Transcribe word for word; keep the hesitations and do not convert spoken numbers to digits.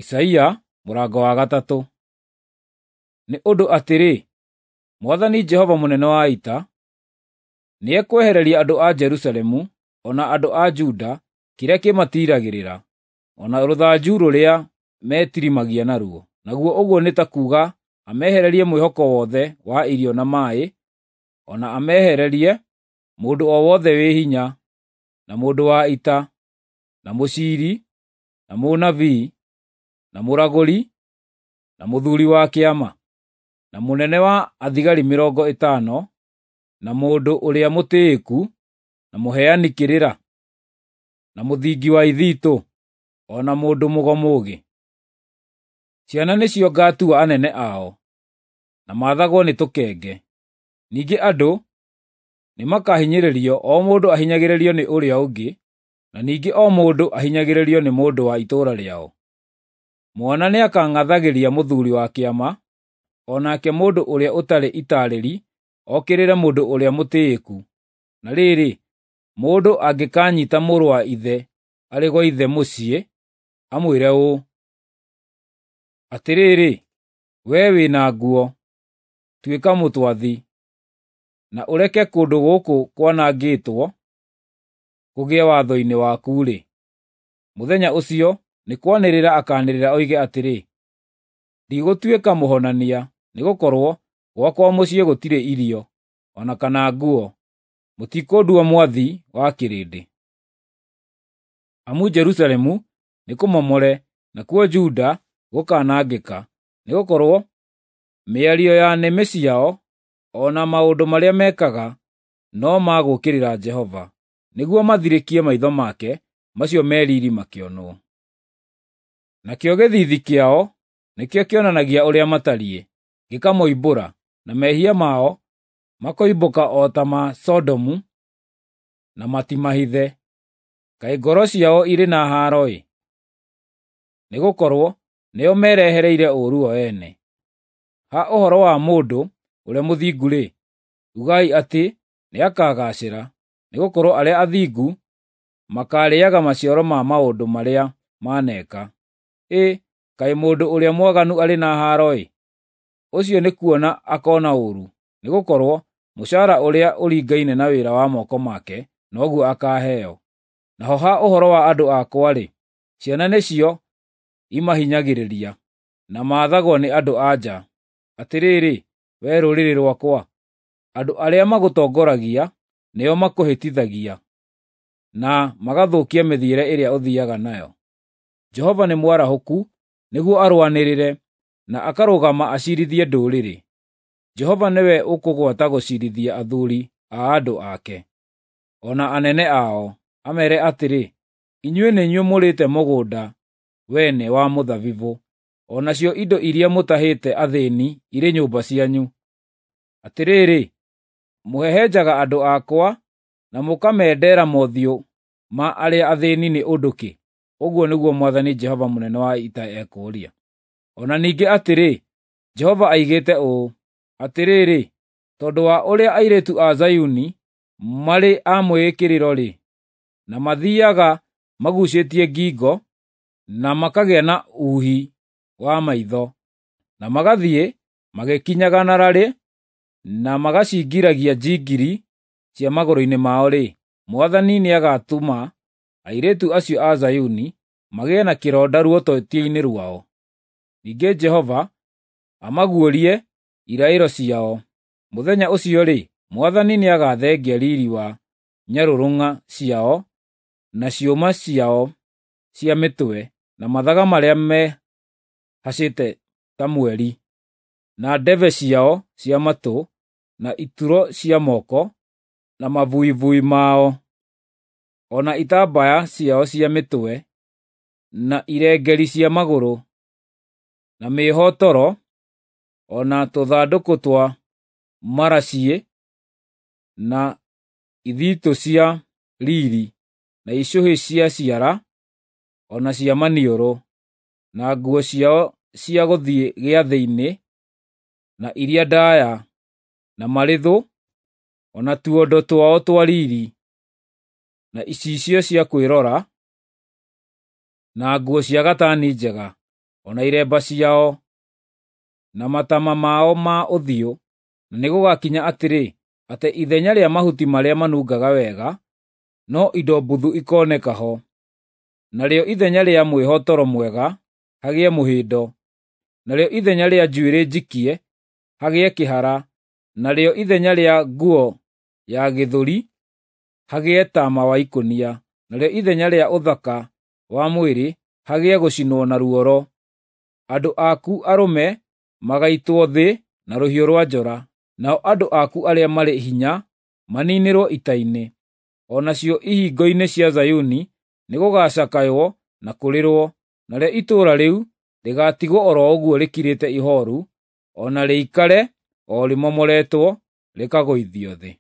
Isaia mũrango wa gatatũ. Nĩ ũndũ atĩrĩ, Mwathani Jehova mũnene wa ita, nĩekwehereria andũ a Jerusalemu o na andũ a Juda kĩrĩa kĩmatiiragĩrĩra, o na rũthanju rũrĩa metirimagia naruo, naguo ũguo nĩ ta kuuga amehererie mwĩhoko wothe wa irio na maĩ, o na amehererie mũndũ o wothe wĩ hinya, na mũndũ wa ita, na mũciiri, na mũnabii, na mũragũri, na mũthuuri wa kĩama, na mũnene wa athigari mĩrongo ĩtano, na mũndũ ũrĩa mũtĩĩku, na mũheani kĩrĩra, na mũthingi wa ithitũ, o na mũndũ mũgo mũũgĩ. Ciana nĩcio ngatua anene ao, na maathagwo nĩ tũkenge. Ningĩ andũ nĩmakahinyĩrĩrio, o mũndũ ahinyagĩrĩrio nĩ ũrĩa ũngĩ, na ningĩ o mũndũ ahinyagĩrĩrio nĩ mũndũ wa itũũra rĩao. Mwana nĩakang'athagĩria mũthuuri wa kĩama, o nake mũndũ ũrĩa ũtarĩ itaarĩri okĩrĩre mũndũ ũrĩa mũtĩĩku. Na rĩrĩ, mũndũ angĩkanyiita mũrũ wa ithe arĩ gwa ithe mũciĩ, amwĩre ũũ, “Atĩrĩrĩ, wee wĩ na nguo, tuĩka mũtwathi, na ũreke kũndũ gũkũ kwanangĩtwo kũgĩe watho-inĩ waku-rĩ,” mũthenya ũcio nĩ kwanĩrĩra akaanĩrĩra oige atĩrĩ, “Ndigũtuĩka mũhonania, nĩgũkorwo gwakwa mũciĩ gũtirĩ irio, o na kana nguo; mũtikũndua mwathi wa kĩrĩndĩ.” Amu Jerusalemu nĩkũmomore, nakuo Juda gũkanangĩka, nĩgũkorwo mĩario ya nĩmĩ ciao o na maũndũ marĩa mekaga no ma gũũkĩrĩra Jehova, nĩguo mathirĩkie maitho make macio me riiri makĩonwo. Nakĩo gĩthiithi kĩao nĩkĩo kĩonanagia ũrĩa matariĩ, gĩkamoimbũra, na mehia mao makoimbũka o ta ma Sodomu, na matimahithe. Kaĩ ngoro ciao irĩ na haaro-ĩ! Nĩgũkorwo nĩo merehereire ũũru o ene. Ha ũhoro wa mũndũ ũrĩa mũthingu-rĩ, ugai atĩ nĩakagaacĩra, nĩgũkorwo arĩa athingu makaarĩĩaga maciaro ma maũndũ marĩa maneeka. Ĩ, kaĩ mũndũ ũrĩa mwaganu arĩ na haaro-ĩ! Ũcio nĩkuona akoona ũũru, nĩgũkorwo mũcaara ũrĩa ũringaine na wĩra wa moko make noguo akaaheo. Naho ha ũhoro wa andũ akwa-rĩ, ciana nĩcio imahinyagĩrĩria, na maathagwo nĩ andũ-a-nja. Atĩrĩrĩ, wee rũrĩrĩ rwakwa, andũ arĩa magũtongoragia nĩo makũhĩtithagia, na magathũkia mĩthiĩre ĩrĩa ũthiiaga nayo. Jehova nĩ mwarahũku nĩguo arũanĩrĩre, na akarũgama aciirithie ndũrĩrĩ. Jehova nĩwe ũkũgwata gũciirithia athuuri a andũ ake, o na anene ao, ameere atĩrĩ, “Inyuĩ nĩ inyuĩ mũrĩĩte mũgũnda wene wa mũthabibũ, o nacio indo iria mũtahĩte athĩĩni irĩ nyũmba cianyu. Atĩrĩrĩ, mũhehenjaga andũ akwa na mũkamendera mothiũ ma arĩa athĩĩni nĩ ũndũ kĩ?” Ũguo nĩguo Mwathani Jehova mũnene wa ita ekũũria. O na ningĩ atĩrĩ, Jehova oigĩte ũũ, “Atĩrĩrĩ, tondũ wa ũrĩa airĩtu a Zayuni marĩ a mwĩĩkĩrĩro-rĩ, na mathiiaga maguucĩtie ngingo, na makagĩa na uuhi wa maitho, na magathiĩ magĩkinyaga na rarĩ, na magacingiragia njingiri cia magũrũ-inĩ mao-rĩ, Mwathani nĩagatũma airĩtu acio a Zayuni magĩe na kĩronda ruototia-inĩ rwao. Ningĩ Jehova amaguũrie iraĩro ciao. Mũthenya ũcio-rĩ, Mwathani nĩagathengia riiri wa nyarũrũng'a ciao na ciũma ciao cia mĩtwe, na mathaga marĩa mehacĩte ta mweri, na ndebe ciao cia matũ, na ituro cia moko, na mabuibui mao, o na itambaya ciao cia mĩtwe, na irengeeri cia magũrũ, na mĩĩhotoro, o na tũthandũkũ twa maraciĩ, na ithitũ cia riiri, na icũhĩ cia ciara, o na cia maniũrũ, na nguo ciao cia gũthiĩ gĩathĩ-inĩ, na iria ndaaya, na marĩthũ, o na tuondo twao twa riiri, na icicio cia kwĩrora, na nguo cia gatani njega, o na iremba ciao, na matama mao ma ũthiũ. Na nĩgũgakinya atĩrĩ, atĩ ithenya rĩa mahuti marĩa manungaga wega, no indo mbuthu ikoneka ho, narĩo ithenya rĩa mwĩhotoro mwega hagĩe mũhĩndo, narĩo ithenya rĩa njuĩrĩ njikie hagĩe kĩhara, narĩo ithenya rĩa nguo ya gĩthũri hagĩe tama wa ikũnia, narĩo ithenya rĩa ũthaka wa mwĩrĩ hagĩe gũcinwo na ruoro. Andũ aku arũme magaitwo thĩ na rũhiũ rwa njora, nao andũ aku arĩa marĩ hinya maniinĩrwo ita-inĩ. O nacio ihingo-inĩ cia Zayuni nĩgũgacakaywo na kũrĩrwo, narĩo itũũra rĩu rĩgaatigwo o ro ũguo rĩkirĩte ihooru, o na rĩikare o rĩmomoretwo, rĩkagũithio thĩ.